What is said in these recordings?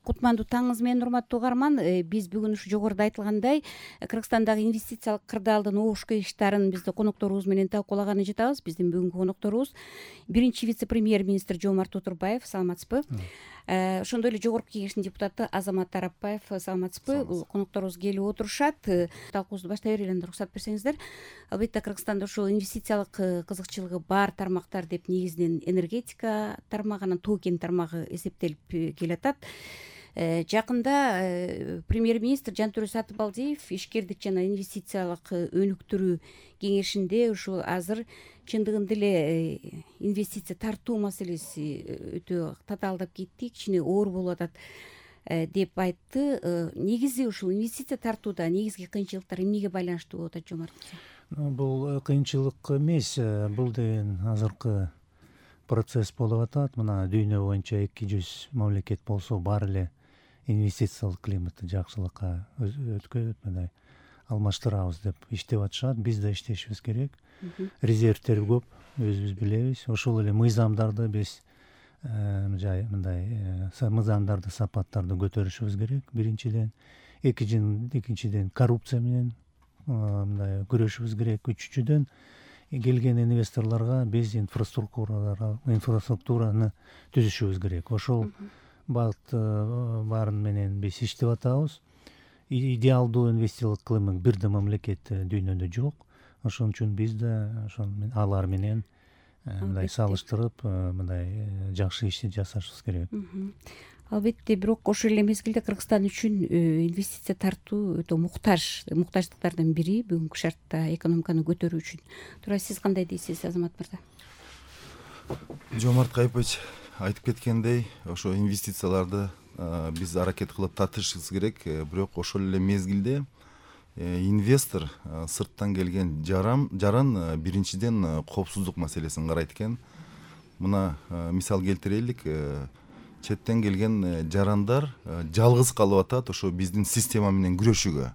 Кутмандуу таңыңыз менен, урматтуу угарман. Биз бүгүн ушу жогоруда айтылгандай Кыргызстандагы инвестициялык кырдаалдын обуш кыйыштарын бизди конокторубуз менен талкуулаганы жатабыз. Биздин бүгүнкү конокторубуз биринчи вице-премьер-министр Жоомарт Отурбаев. Саламатсызбы? Ошондой эле жогорку кеңештин депутаты Азамат Арапбаев. Саламатсызбы? Конокторубуз келип отурушат. Талкуубузду баштай берели, уруксат берсеңиздер. Албетте Кыргызстанда ушул инвестициялык кызыкчылыгы бар тармактар деп негизинен энергетика тармагы, анан тоо кен тармагы эсептелип келатат. Жакында премьер-министр Жантөрө Сатыбалдиев ишкердик жана инвестициялык өнүктүрүү кеңешинде ушул азыр чындыгында эле инвестиция тартуу маселеси өтө татаалдап кетти, кичине оор болуп атат деп айтты. Негизи ушул инвестиция тартууда негизги кыйынчылыктар эмнеге байланыштуу болуп атат, Жоомарт мырза? Бул кыйынчылык эмес, бул деген азыркы процесс болуп атат. Мына дүйнө боюнча 200 мамлекет болсо баары эле инвестициялык климатты жакшылыкка өткөт, мындай алмаштырабыз деп иштеп атышат. Биз да иштешибиз керек. Резервтер көп, өзүбүз билебиз. Ошол эле мыйзамдарды биз мындай мыйзамдарды, сапаттарды көтөрүшүбүз керек. Биринчиден, экинчиден коррупция менен мындай күрөшүбүз керек. Үчүнчүдөн келген инвесторлорго биз инфраструктураны түзүшүбүз керек. Ошол багыт баарын менен биз иштеп атабыз. Идеалдуу инвестициялык климат бир да мамлекетте дүйнөдө жок. Ошон үчүн биз да алар менен мындай салыштырып, мындай жакшы ишти жасашыбыз керек. Албетте, бирок ошол эле мезгилде Кыргызстан үчүн инвестиция тартуу өтө муктаждыктардын бири бүгүнкү шартта экономиканы көтөрүү үчүн. Туура сиз кандай дейсиз, Азамат мырза? Жоомарт Кайыпович айтып кеткендей, ошо инвестицияларды биз аракет кылып тартышыбыз керек. Бирок ошол эле мезгилде инвестор сырттан келген жаран биринчиден коопсуздук маселесин карайт экен. Мына мисал келтирелик, четтен келген жарандар жалгыз калып атат ошо биздин система менен күрөшүүгө.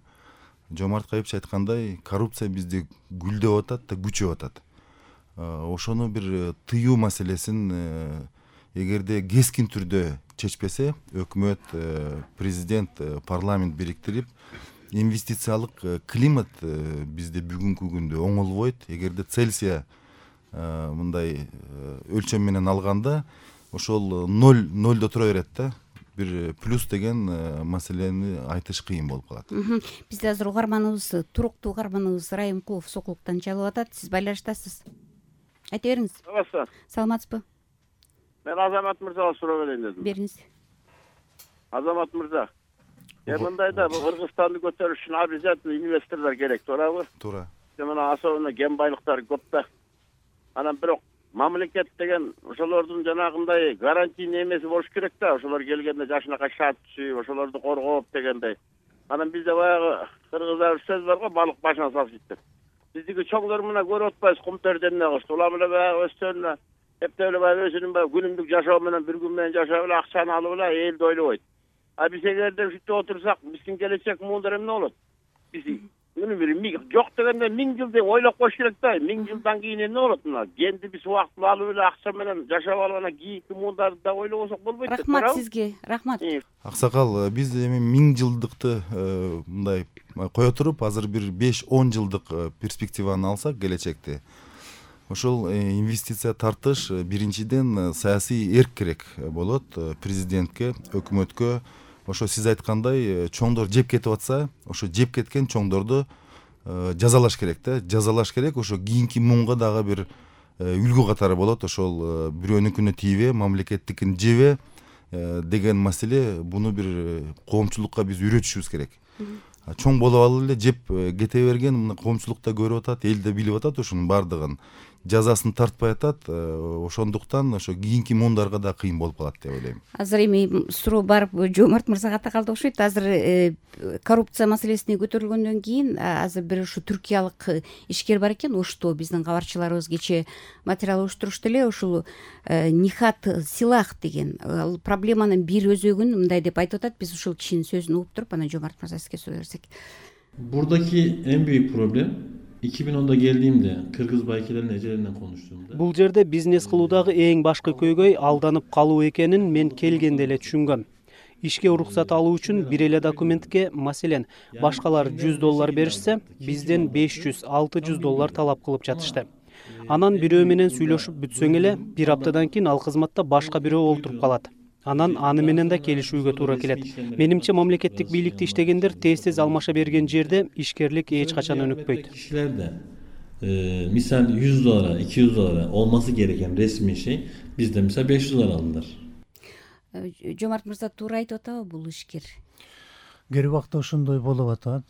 Жоомарт Кайыпович айткандай, коррупция бизде гүлдөп атат да күчөп атат. Ошону бир тыюу маселесин эгерде кескин түрдө чечпесе, өкмөт, президент, парламент бириктирип, инвестициялык климат бизде бүгүнкү күндө оңолбойт. Эгерде Цельсия мындай өлчөм менен алганда, ошол нолдо тура берет да. Бир плюс деген маселени айтыш кыйын болуп калат. Бизде азыр угарманыбыз, туруктуу угарманыбыз Райымкулов Сокулуктан чалып атат. Сиз байланыштасыз. Айта бериңиз. Саламатсызбы? Мен Азамат мырзага суроо берейин дедим. Бериңиз. Азамат мырза, мындайда Кыргызстанды көтөрүш үчүн обязательно инвесторлор керек, туурабы? Туура. Мына особенно кен байлыктары көп да. Анан бирок мамлекет деген ошолордун жанагындай гарантийный эмеси болуш керек да. Ошолор келгенде жашынакай шарт түзүп, ошолорду коргоп дегендей. Анан бизде баягы кыргыздар сөз бар го, балык башына салып жейт деп. Биздики чоңдор мына көрүп атпайбыз, кум терденне кылышты. Улам эле баягы өстөрүнө эптеп эле баягы өзүнүн баягы күнүмдүк жашоо менен, бир күн менен жашап эле акчаны алып эле элди ойлобойт. Биз эгерде ушинтип отурсак, биздин келечек муундар эмне болот? Биз жок дегенде 1000 жыл деп ойлоп коюш керек да. 1000 жылдан кийин эмне болот мына? Кенди биз убактылуу алып эле акча менен жашап алып анан кийинки муундарды да ойлобосок болбойт. Рахмат сизге, рахмат. Аксакал, биз эми 1000 жылдыкты мындай кое туруп, азыр бир 5-10 жылдык перспективаны алсак келечекте, ошол инвестиция тартыш биринчиден саясий эрк керек болот президентке, өкмөткө. Ошо сиз айткандай, чоңдор жеп кетип атса, ошо жеп кеткен чоңдорду жазалаш керек да. Жазалаш керек, ошо кийинки муунга дагы бир үлгү катары болот. Ошол бирөөнүкүнө тийбе, мамлекеттикин жебе деген маселе, буну бир коомчулукка биз үйрөтүшүбүз керек. Чоң болуп алып эле жеп кете берген мына коомчулукта көрүп атат, эл да билип атат ошонун бардыгын. Жазасын тартпай атат, ошондуктан ошо кийинки муундарга да кыйын болуп калат деп ойлойм. Азыр эми суроо барып Жоомарт мырзага такалды окшойт. Азыр коррупция маселесине көтөрүлгөндөн кийин азыр бир ушу түркиялык ишкер бар экен, Ошто биздин кабарчыларыбыз кечээ материал уюштурушту эле. Ушул Нихат Силах деген проблеманын бир өзөгүн мындай деп айтып атат. Биз ушул кишинин сөзүн угуп туруп, анан Жоомарт мырза сизге суроо берсек. Бурадагы эң büyük проблем 2010'da geldiğimde Kırgız baykilerin ecelerinden konuştuğumda. Бул жерде бизнес кылуудагы эң башкы көйгөй алданып калуу экенин мен келгенде эле түшүнгөм. Ишке уруксат алуу үчүн бир эле документке, маселен, башкалар $100 беришсе, бизден $500-600 талап кылып жатышты. Анан бирөө менен сүйлөшүп бүтсөң эле, бир аптадан кийин ал кызматта башка бирөө олтуруп калат. Анан аны менен да келишүүгө туура келет. Менимче мамлекеттик бийликте иштегендер тез алмаша берген жерде ишкерлик эч качан өнүкпөйт. Kişilerde misal $100, $200 olması gereken resmi şey bizde misal $500 alınır. Жомарт мырза туура айтып атабы бул ишкер? Кээ убакта ошондой болуп атат,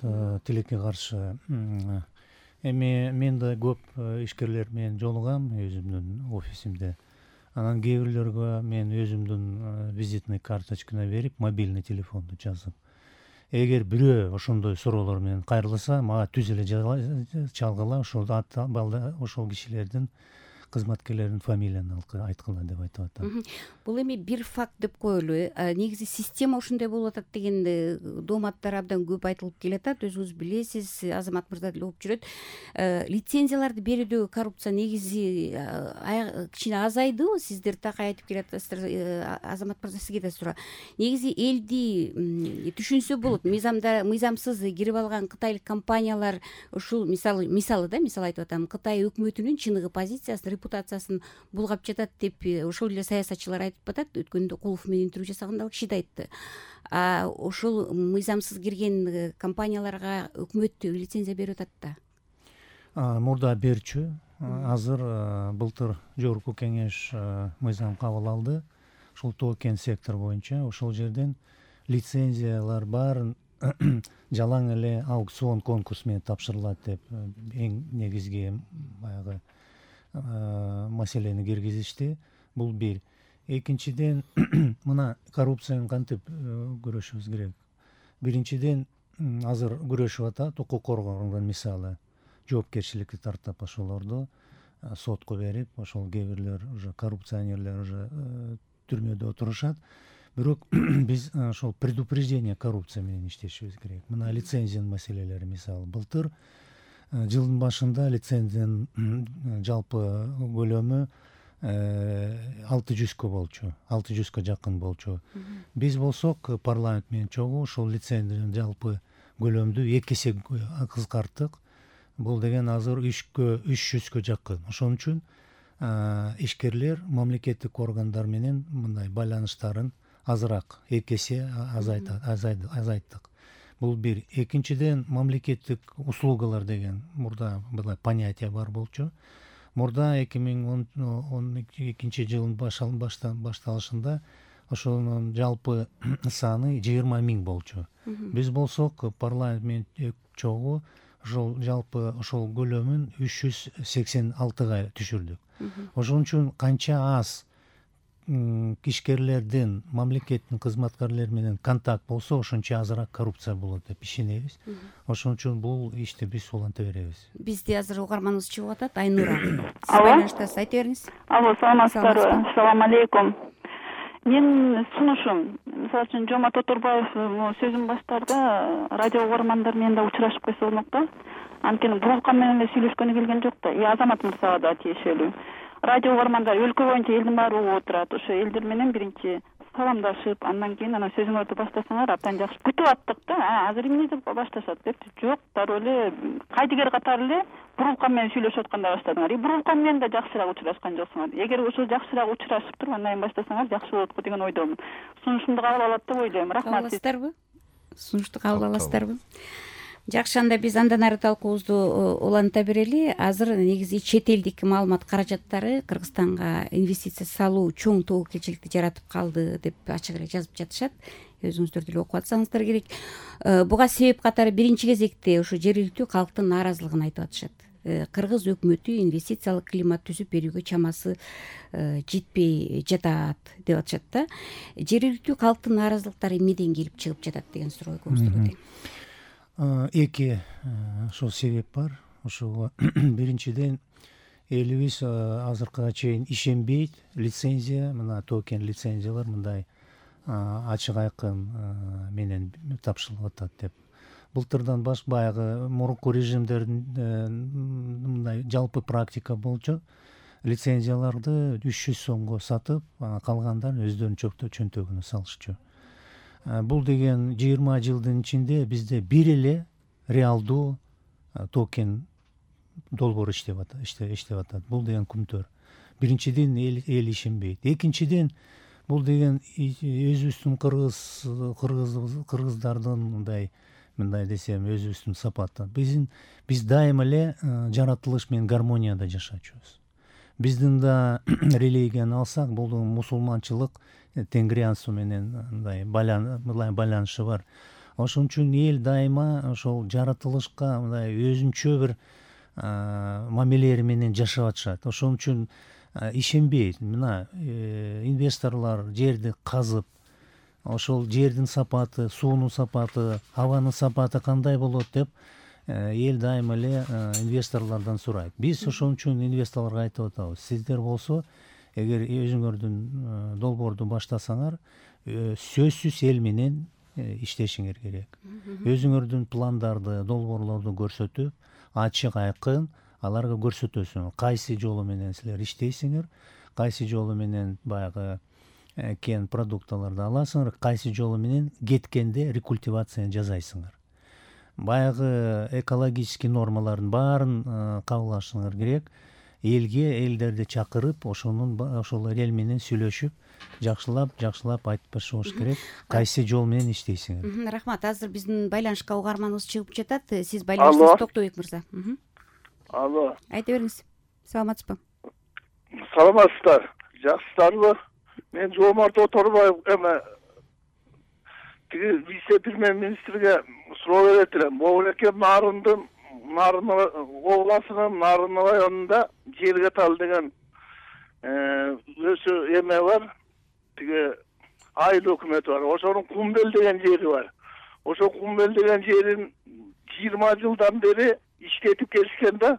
тилекке каршы. Эми мен да көп ишкерлер менен жолугам өзүмдүн офисимде. Анан кээ бирлөргө мен өзүмдүн визитный карточканы берип, мобильный телефонду жазып, эгер бирөө ошондой суроолор менен кайрылса, мага түз эле чалгыла, ошол кишилердин кызматкерлердин фамилияны айткыла деп айтып атам. Бул эми бир факт деп коелу. Негизи система ушундай болуп атат деген дооматтар абдан көп айтылып келатат. Өзүңүз билесиз, Азамат мырза деле окуп жүрөт. Лицензияларды берүүдөгү коррупция негизи кичине азайдыбы? Сиздер так айтып келатсыздар. Азамат мырза, сизге да суроо. Негизи элди түшүнсө болот. Мыйзамсыз кирип алган кытайлык компаниялар ушул мисалы айтып атам, Кытай өкмөтүнүн чыныгы позициясын, репутациясын булгап жатат деп ошол эле саясатчылар айтып атат. Өткөндө Кулов менен интервью жасаганда ал киши да айтты. Ошол мыйзамсыз кирген компанияларга өкмөт лицензия берип атат да. Мурда берчү. Азыр былтыр Жогорку кеңеш мыйзам кабыл алды. Ушул токен сектор боюнча ошол жерден лицензиялар баарын жалаң эле аукцион конкурс менен тапшырылат деп эң негизги баягы маселени киргизишти. Бул бир. Экинчиден, мына коррупцияны кантип күрөшүбүз керек. Биринчиден, азыр күрөшүп атат укук коргоогунун мисалы жоопкерчиликке тартып ошолорду сотко берип, ошол кээ бирлер уже коррупционерлер уже түрмөдө отурушат. Бирок биз ошол предупреждение коррупция менен иштешибиз керек. Мына лицензиянын маселелери мисалы былтыр жылдын башында лицензиянын жалпы көлөмү 600 болчу, 600 жакын болчу. Биз болсок парламент менен чогуу ошол лицензиянын жалпы көлөмдү 2 эсе кыскарттык. Бул деген азыр 300 жакын. Ошон үчүн ишкерлер мамлекеттик органдар менен мындай байланыштарын азыраак 2 эсе азайттык. Бул бир. Экинчиден, мамлекеттик услугалар деген мурда мындай понятие бар болчу. Мурда 2012 жылдын башталышында ошонун жалпы саны 20 000 болчу. Биз болсок парламент менен чогуу ошол жалпы ошол көлөмүн 386 түшүрдүк. Ошон үчүн канча аз ишкерлердин, мамлекеттин кызматкерлери менен контакт болсо, ошончо азыраак коррупция болот деп ишенебиз. Ошон үчүн бул ишти биз уланта беребиз. Бизде азыр угарманыбыз чыгып атат, Айнура. Сиз байланыштасыз, айта бериңиз. Алло, саламатсыздарбы? Assalamu алейкум. Мен сунушум, мисалы үчүн Жомарт Оторбаев сөзүн баштарда радио угармандар менен да учурашып койсо болмок да. Анткени бурулкан менен эле сүйлөшкөнү келген жок да. Азамат мырзага да тиешелүү. Радио угармандар өлкө боюнча элдин баары угуп отурат. Ошо элдер менен биринчи саламдашып, андан кийин анан сөзүңөрдү баштасаңар абдан жакшы. Күтүп аттык да. Азыр эмне деп башташат деп. Жок, дароо эле кайдыгер катары эле бурулкан менен сүйлөшүп атканда баштадыңар. Бурулкан менен да жакшыраак учурашкан жоксуңар. Эгер ошо жакшыраак учурашып туруп андан кийин баштасаңар жакшы болот го деген ойдомун. Сунушумду кабыл алат деп ойлойм. Рахмат. Кабыл аласыздарбы? Сунушту кабыл аласыздарбы? Жакшы, анда биз андан ары талкуубузду уланта берели. Азыр негизи чет элдик маалымат каражаттары Кыргызстанга инвестиция салуу чоң тобокелчиликти жаратып калды деп ачык эле жазып жатышат. Өзүңүздөр деле окуп атсаңыздар керек. Буга себеп катары биринчи кезекте ошо жергиликтүү калктын нааразылыгын айтып атышат. Кыргыз өкмөтү инвестициялык климат түзүп берүүгө чамасы жетпей жатат деп атышат да. Жергиликтүү калктын нааразылыктары эмнеден келип чыгып жатат деген суроого көздөйт. Эки ошол себеп бар. Ошого биринчиден элибиз азыркыга чейин ишенбейт. Лицензия, мына токен лицензиялар мындай ачык айкын менен тапшырылып атат деп. Былтырдан баягы мурунку режимдердин мындай жалпы практика болчу. Лицензияларды 300 сомго сатып, калгандарын өздөрүнүн чөнтөгүнө салышчу. бул деген 20 жылдын ичинде бизде бир эле реалдуу токен долбоор иштеп атат. Бул деген күмтөр. Биринчиден эл ишенбейт. Экинчиден бул деген өзүбүздүн кыргыздардын мындай десем өзүбүздүн сапаты. Биз дайыма эле жаратылыш менен гармонияда жашачубуз. Биздин да религияны алсак, бул мусулманчылык тенгриянсу менен мындай байланышы бар. Ошон үчүн эл дайыма ошол жаратылышка мындай өзүнчө бир мамилелери менен жашап атышат. Ошон үчүн ишенбейт. Мына инвесторлор жерди казып, ошол жердин сапаты, суунун сапаты, абанын сапаты кандай болот деп эл дайыма эле инвесторлордон сурайт. Биз ошон үчүн инвесторлорго айтып атабыз. Сиздер болсо, эгер өзүңөрдүн долбоорду баштасаңар, сөзсүз эл менен иштешиңер керек. Өзүңөрдүн пландарды, долбоорлорду көрсөтүп, ачык айкын аларга көрсөтөсүңөр. Кайсы жолу менен силер иштейсиңер, кайсы жолу менен баягы кен продукталарды аласыңар, кайсы жолу менен кеткенде рекультивацияны жасайсыңар. Баягы экологический нормалардын баарын кабыл керек. Элдерди чакырып, ошол эл менен сүйлөшүп, жакшылап айтып башыбыз керек. Кайсы жол менен иштейсиңер. Рахмат. Азыр биздин байланышка угарманыбыз чыгып жатат. Сиз байланыштасыз, Токтобек мырза. Алло. Айта бериңиз. Саламатсызбы? Саламатсыздар. Жакшысыздарбы? Мен Жомарт Оторбаев вице-премьер-министрге суроо берет элем. Могул экен Нарын областынын Нарын районунда Жергетал деген өзү бар. Айыл өкмөтү бар. Ошонун Кумбел деген жери бар. Ошо Кумбел деген жерин 20 жылдан бери иштетип келишкен да.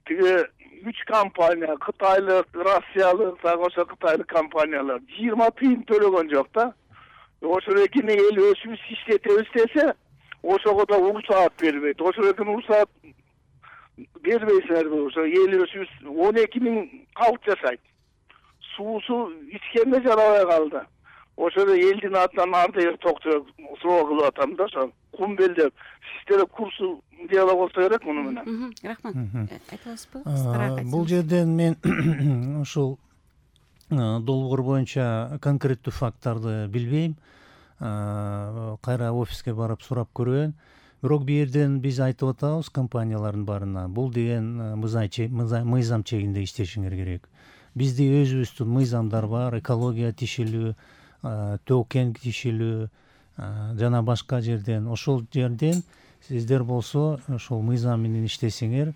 3 компания, Кытайлык, Россиялык, ошо Кытайлык компаниялар 20 тыйын төлөгөн жок да. Ошол экини эл өзүбүз иштетебиз десе, ошого да уруксаат бербейт. Ошол экини уруксаат бербейсиңерби? Ошо эл өзүбүз 12 000 калк жашайт. Суусу ичкенде жарабай калды. Ошол элдин атынан арды токтоп суроо кылып атам да, ошо Кумбел деп. Сиздер курсу дело болсо керек муну менен. Рахмат. Айта аласызбы? Бул жерден мен ушул долбоор боюнча конкреттүү факттарды билбейм. Кайра офиске барып сурап көрөйүн. Бирок бул жерден биз айтып атабыз компаниялардын баарына. Бул деген мыйзам чегинде иштешиңер керек. Бизде өзүбүздүн мыйзамдар бар, экология тишилүү, токен тишилүү жана башка жерден. Ошол жерден сиздер болсо ошол мыйзам менен иштесеңер,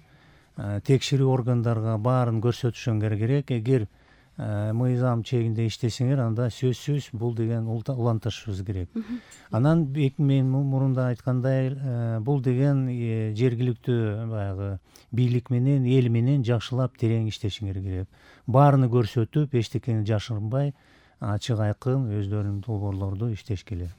текшерүү органдарга баарын көрсөтүшүңөр керек. Эгер мыйзам чегинде иштесеңер, анда сөзсүз бул деген улантышыбыз керек. Анан мен мурунда айткандай, бул деген жергиликтүү баягы бийлик менен, эл менен жакшылап терең иштешиңер керек. Баарыны көрсөтүп, эчтекени жашырынбай, ачык айкын өздөрүнүн долбоорлорду иштешке эле.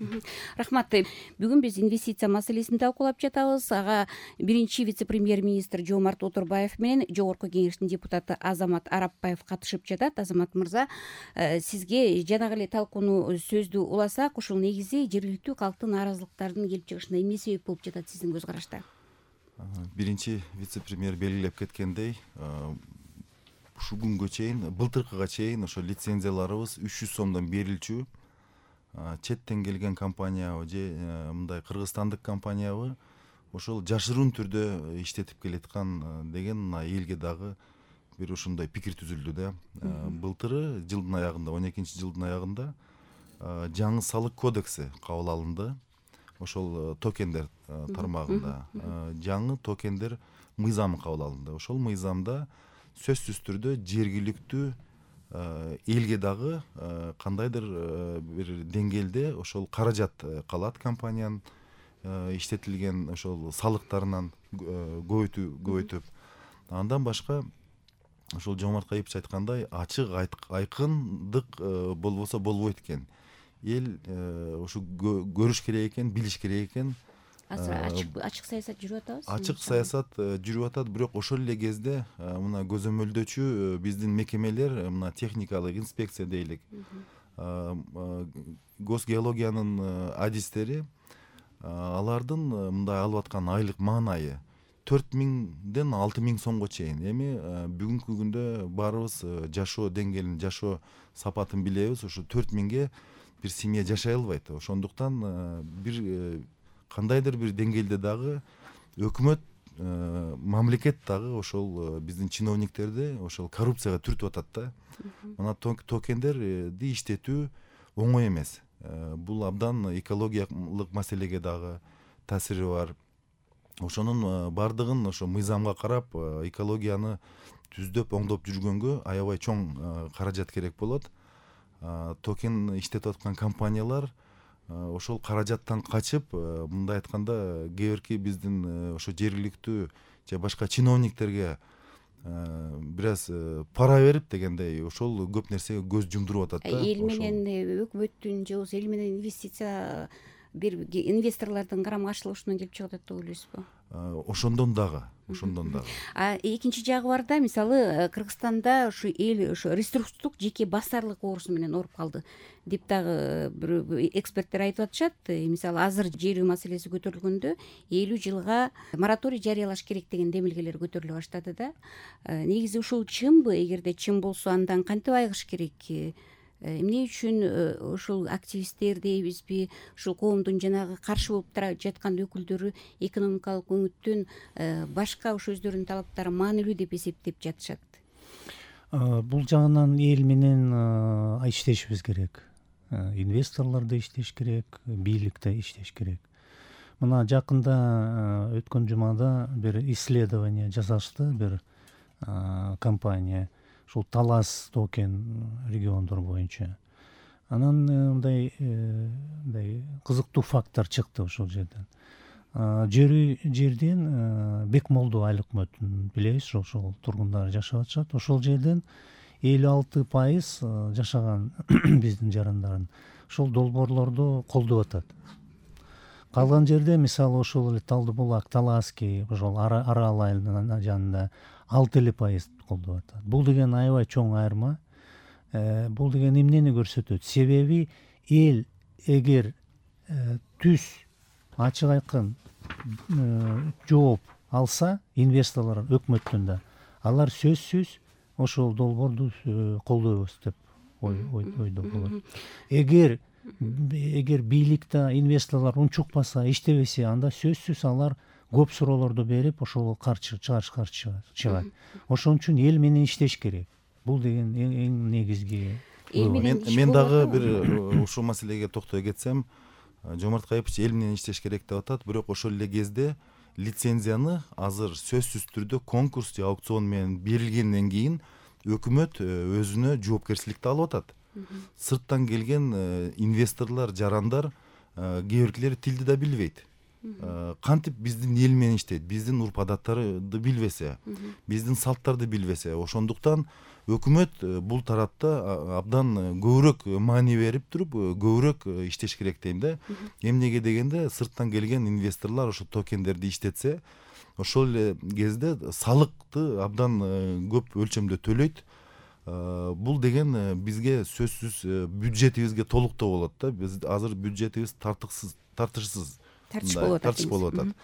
Рахмат. Бүгүн биз инвестиция маселесин талкуулап жатабыз. Ага биринчи вице-премьер-министр Жомарт Оторбаев менен Жогорку Кеңештин депутаты Азамат Арапбаев катышып жатат. Азамат мырза, сизге жанагы эле талкууну сөздү уласак, ушул негизи жергиликтүү калктын нааразылыктарынын келип чыгышына эмне себеп болуп жатат сиздин көз карашта? Биринчи вице-премьер белгилеп кеткендей, ушул күнгө чейин, былтыркыга чейин ошо лицензияларыбыз 300 сомдон берилчү. Четтен келген компаниябы же мындай кыргызстандык компаниябы ошол жашыруун түрдө иштетип келаткан деген элге дагы бир ошондой пикир түзүлдү да. Былтыры жылдын аягында, 12 жылдын аягында жаңы салык кодекси кабыл алынды. Ошол токендер тармагында жаңы токендер мыйзамы кабыл алынды. Ошол мыйзамда сөзсүз түрдө жергиликтүү элге дагы кандайдыр бир деңгээлде ошол каражат калат компаниянын иштетилген ошол салыктарынан көбөйтүп. Андан башка ошол Жомарт Кайыпович айткандай, ачык айкындык болбосо болбойт экен. Эл ушу көрүш керек экен, билиш керек экен. Ачык саясат жүрүп атабыз. Ачык саясат жүрүп атат, бирок ошол эле кезде мына көзөмөлдөөчү биздин мекемелер, мына техникалык инспекция дейлик, госгеологиянын адистери алардын мындай алып аткан айлык маанайы 4000ден 6000 сомго чейин. Эми бүгүнкү күндө баарыбыз жашоо деңгээлин, жашоо сапатын билебиз. Ошо 4000ге бир семья жашай албайт. Ошондуктан бир кандайдыр бир деңгээлде дагы өкмөт, мамлекет дагы ошол биздин чиновниктерди ошол коррупцияга түртүп атат да. Мына токендерди иштетүү оңой эмес. Бул абдан экологиялык маселеге дагы таасири бар. Ошонун бардыгын ошо мыйзамга карап, экологияны түздөп, оңдоп жүргөнгө аябай чоң каражат керек болот. Токен иштетип аткан компаниялар ошол каражаттан качып, мындай айтканда, кээ бирки биздин ошо жергиликтүү же башка чиновниктерге бир аз пара берип дегендей ошол көп нерсеге көз жумдуруп атат да. Эл менен өкмөттүн же болбосо эл менен инвестиция бир инвесторлордун карама каршылыгынан келип чыгып атат деп ойлойсузбу? Ошондон дагы. Экинчи жагы бар да, мисалы Кыргызстанда ушу эл ошо ресурстук жеке басарлык оорусу менен ооруп калды деп дагы бир эксперттер айтып атышат. Мисалы азыр жер үй маселеси көтөрүлгөндө 50 жылга мораторий жарыялаш керек деген демилгелер көтөрүлө баштады да. Негизи ушул чынбы? Эгерде чын болсо, андан кантип айыгыш керек? Эмне үчүн ушул активисттер дейбизби, ушул коомдун жанагы каршы болуп жаткан өкүлдөрү экономикалык өңүттөн башка ошо өздөрүнүн талаптары маанилүү деп эсептеп жатышат? Бул жагынан эл менен иштешибиз керек. Инвесторлор да иштеш керек, бийлик да иштеш керек. Мына жакында өткөн жумада бир исследование жасашты, бир компания. Ушул Талас токен региондор боюнча. Анан мындай кызыктуу факттар чыкты ошол жерден. Жерден Бекмолду айлык өкмөтүн билебиз, ошол тургундары жашап атышат. Ошол жерден 56% жашаган биздин жарандардын ошол долбоорлорду колдоп атат. Калган жерде мисалы ошол эле Талдыбулак, Талаский, ошол Арал айылынын жанында 6% колдоп атат. Бул деген аябай чоң айырма. Бул деген эмнени көрсөтөт? Себеби эл эгер түз ачык айкын жооп алса, инвесторлор өкмөттөн да, алар сөзсүз ошол долбоорду колдойбуз деп ойдо болот. Эгер бийликте инвесторлор унчукпаса, иштебесе, анда сөзсүз алар көп суроолорду берип, ошол каршы чыгат. Ошон үчүн эл менен иштеш керек. Бул деген эң негизги. Мен дагы бир ушул маселеге токтой кетсем, Жомарт Кайыпович эл менен иштеш керек деп атат, бирок ошол эле кезде лицензияны азыр сөзсүз түрдө конкурс же аукцион менен берилгенден кийин өкмөт өзүнө жоопкерчиликти алып атат. Сырттан келген инвесторлор, жарандар кээ биркилери тилди да билбейт. Кантип биздин эл менен иштейт, биздин урп адаттарды билбесе, биздин салттарды билбесе, ошондуктан өкмөт бул тарапта абдан көбүрөөк маани берип туруп, көбүрөөк иштеш керек дейм да. Эмнеге дегенде, сырттан келген инвесторлор ошо токендерди иштетсе, ошол эле кезде салыкты абдан көп өлчөмдө төлөйт. Бул деген бизге сөзсүз бюджетибизге толуктоо болот да. Биз азыр бюджетибиз тартыш болуп атат.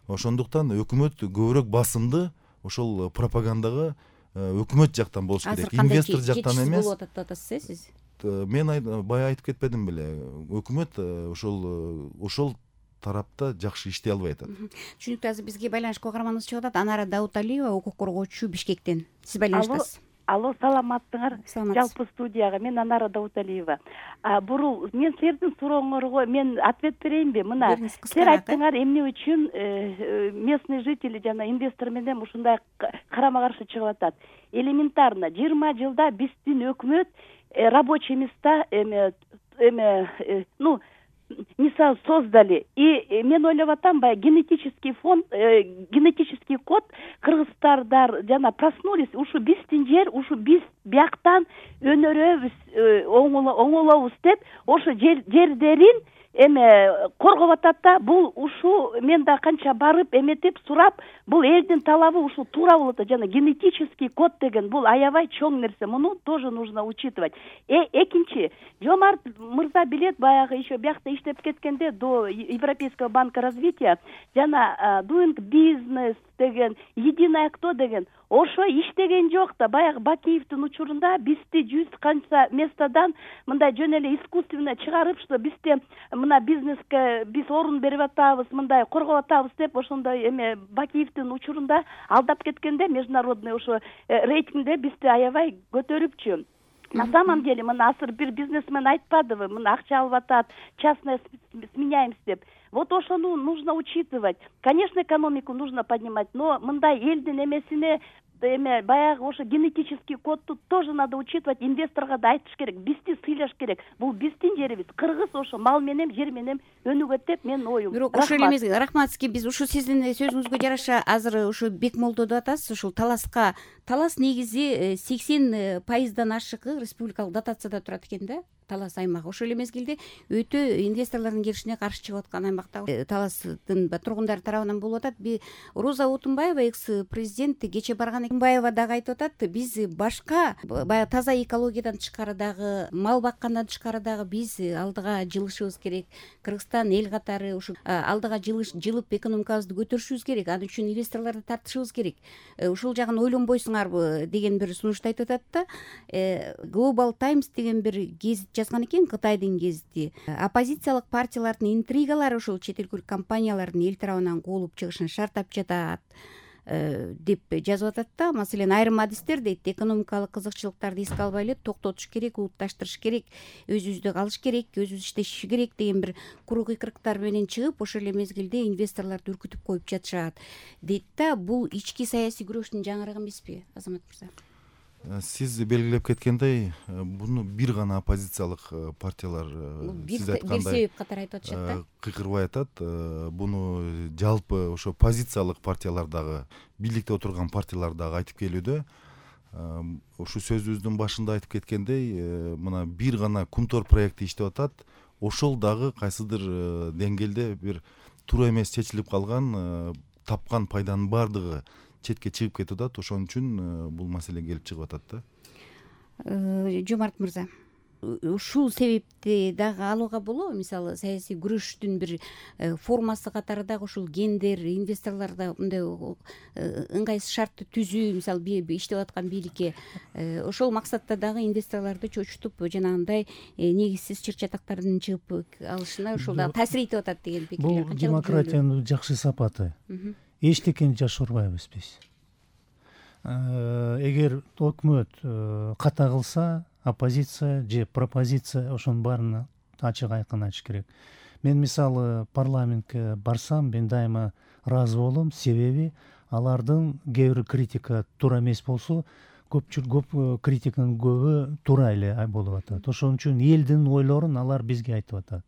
Ошондуктан өкмөт көбүрөөк басымды ошол пропагандага өкмөт жактан болуш керек. Инвестор жактан эмес. Болуп атат деп атасыз. Мен бая айтып кетпедим беле. Өкмөт ошол тарапта жакшы иштей албай атат. Түшүнүктүү. Азыр бизге байланышка каарманыбыз чыгып атат. Анара Дауталиева, укук коргоочу, Бишкектен. Сиз байланыштасыз. Алло, саламаттыңар. Жалпы студияга мен Анара Дауталиева. Бурул, мен силердин сурооңорго мен ответ берейинби? Мына силер айттыңар эмне үчүн местный жители жана инвестор менен ушундай карама каршы чыгып атат. Элементарно 20 жылда биздин өкмөт рабочий места мисал создали. И мен ойлоп атам, генетический фонд, генетический код кыргыздар жана проснулись, ушу биздин жер, ушу биз бияктан өнөрөбүз, оңолобуз деп, ошо жерлерин коргоп атат да. Бул ушул мен да канча барып эметип сурап, бул элдин талабы ушул туура болот. Жана генетический код деген бул аябай чоң нерсе. Муну тоже нужно учитывать. Экинчи, Жомарт мырза билет, баягы еще биякта иштеп кеткенде до Европейского банка развития жана doing business деген, единое кто деген ошо иштеген жок да. Баягы Бакиевдин учурунда бизди 100 канча местадан мындай жөн эле искусственно чыгарып, что бизде мына бизнеске биз орун берип атабыз, мындай коргоп атабыз деп ошондой Бакиевдин учурунда алдап кеткенде международный ошо рейтингде бизди аябай көтөрүпчү. На самом деле, мына азыр бир бизнесмен айтпадыбы, мына акча алып атат, частное сменяемся деп. Вот ошону нужно учитывать. Конечно, экономику нужно поднимать, но мындай элдин эмесине баягы ошо генетический кодду тоже надо учитывать. Инвесторго да айтыш керек, бизди сыйлаш керек. Бул биздин жерибиз. Кыргыз ошо мал менен, жер менен өнүгөт деп менин оюм. Бирок ошол эле эмес, рахмат сизге. Биз ушу сиздин сөзүңүзгө жараша азыр ушу Бекмолдо деп атасыз, ушул таласка. Талас негизи 80% ашыгы республикалык дотацияда турат экен да. Талас аймагы ошол эле мезгилде өтө инвесторлордун келишине каршы чыгып аткан аймакта Таластын тургундары тарабынан болуп атат. Роза Отунбаева, экс-президент, кече барган Отунбаева дагы айтып атат, биз башка баягы таза экологиядан тышкары дагы, мал баккандан тышкары дагы биз алдыга жылышыбыз керек. Кыргызстан эл катары ушу алдыга жылып экономикабызды көтөрүшүбүз керек. Ал үчүн инвесторлорду тартышыбыз керек. Ушул жагын ойлонбойсуңарбы деген бир сунушту айтып атат да. Global Times деген бир гезит жазган экен, Кытайдын гезити. Оппозициялык партиялардын интригалары ушул чет элдик компаниялардын эл тарабынан куулуп чыгышын шарттап жатат деп жазып атат да. Маселен, айрым адистер дейт, экономикалык кызыкчылыктарды эске албай эле токтотуш керек, улутташтырыш керек, өзүбүздү калыш керек, өзүбүз иштешиш керек деген бир куру кыйкырыктар менен чыгып, ошол эле мезгилде инвесторлорду үркүтүп коюп жатышат дейт да. Бул ички саясий күрөштүн жаңырыгы эмеспи, Азамат мырза? Сиз белгилеп кеткендей, буну бир гана оппозициялык партиялар сиз айткандай бир себеп катары айтып атышат да. Кыйкырбай атат. Буну жалпы ошо позициялык партиялар дагы, бийликте отурган партиялар дагы айтып келүүдө. Ушу сөзүбүздүн башында айтып кеткендей, мына бир гана Кумтор проекти иштеп атат. Ошол дагы кайсыдыр деңгээлде бир туура эмес чечилип калган, тапкан пайданын баардыгы четке чыгып кетип атат. Ошон үчүн бул маселе келип чыгып атат да. Жомарт мырза, ушул себепти дагы алууга болобу? Мисалы, саясий күрөштүн бир формасы катары дагы ушул гендер, инвесторлордо мындай ыңгайсыз шартты түзүү, мисалы иштеп аткан бийликке ошол максатта дагы инвесторлорду чочутуп, жанагындай негизсиз чыр-чатактардын чыгып алышына ошол дагы таасир этип атат деген пикирлер канчалык? Бул демократиянын жакшы сапаты. Эчтекени жашырбайбыз биз. Эгер өкмөт ката кылса, оппозиция же пропозиция ошонун баарын ачык айкын айтыш керек. Мен мисалы парламентке барсам, мен дайыма ыраазы болом, себеби алардын кээ бир критика туура эмес болсо, көп критиканын көбү туура эле болуп атат. Ошон үчүн элдин ойлорун алар бизге айтып атат.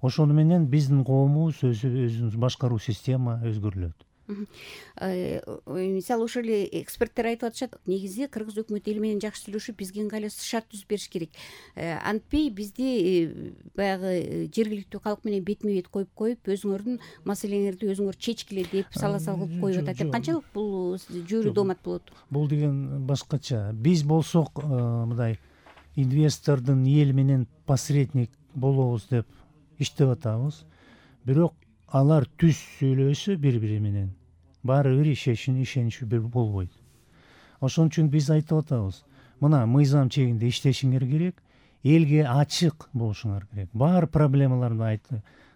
Ошону менен биздин коомубуз өзүбүз башкаруу система өзгөрүлөт. Мисалы, ошол эле эксперттер айтып атышат, негизи кыргыз өкмөтү эл менен жакшы сүйлөшүп, бизге ыңгайлуу шарт түзүп бериш керек. Антпей бизди баягы жергиликтүү калк менен бетме бет коюп, өзүңөрдүн маселеңерди өзүңөр чечкиле деп саласал кылып коюп атат деп. Канчалык бул жүйрүү доомат болот? Бул деген башкача. Биз болсок, мындай инвестордун эл менен посредник болобуз деп иштеп атабыз. Бирок алар түз сүйлөсө бири-бири менен баары бир ишеничүү бир болбойт. Ошон үчүн биз айтып атабыз, мына мыйзам чегинде иштешиңер керек, элге ачык болушуңар керек. Баары проблемаларды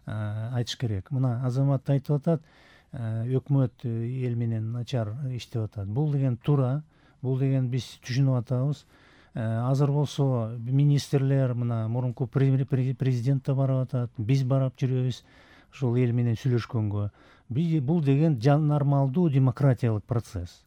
айтыш керек. Мына Азамат айтып атат, өкмөт эл менен начар иштеп атат. Бул деген туура, бул деген биз түшүнүп атабыз. Азыр болсо министрлер, мына мурунку президент да барып атат, биз барып жүрөбүз. Ошол эл менен сүйлөшкөнгө. Бул деген нормалдуу демократиялык процесс.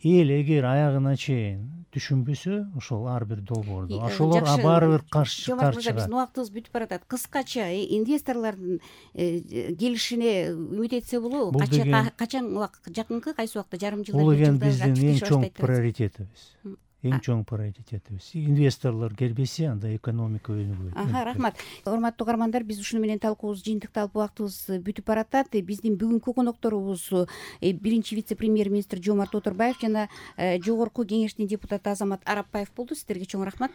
Эл эгер аягына чейин түшүнбөсө, ошол ар бир долбоорду, ошолор баары бир каршы чыгат. Биздин убактыбыз бүтүп баратат. Кыскача инвесторлордун келишине үмүт этсе болобу? Качан жакынкы кайсы убакта, жарым жылда, бул деген биздин эң чоң приоритетибиз. эң чоң приоритетибиз. Инвесторлор келбесе, анда экономика өнүгбөйт. Рахмат. Урматтуу угармандар, биз ушуну менен талкуубуз жыйынтыкталып убактыбыз бүтүп баратат. Биздин бүгүнкү конокторубуз биринчи вице-премьер-министр Жомарт Оторбаев жана жогорку кеңештин депутаты Азамат Арапбаев болду. Сиздерге чоң рахмат.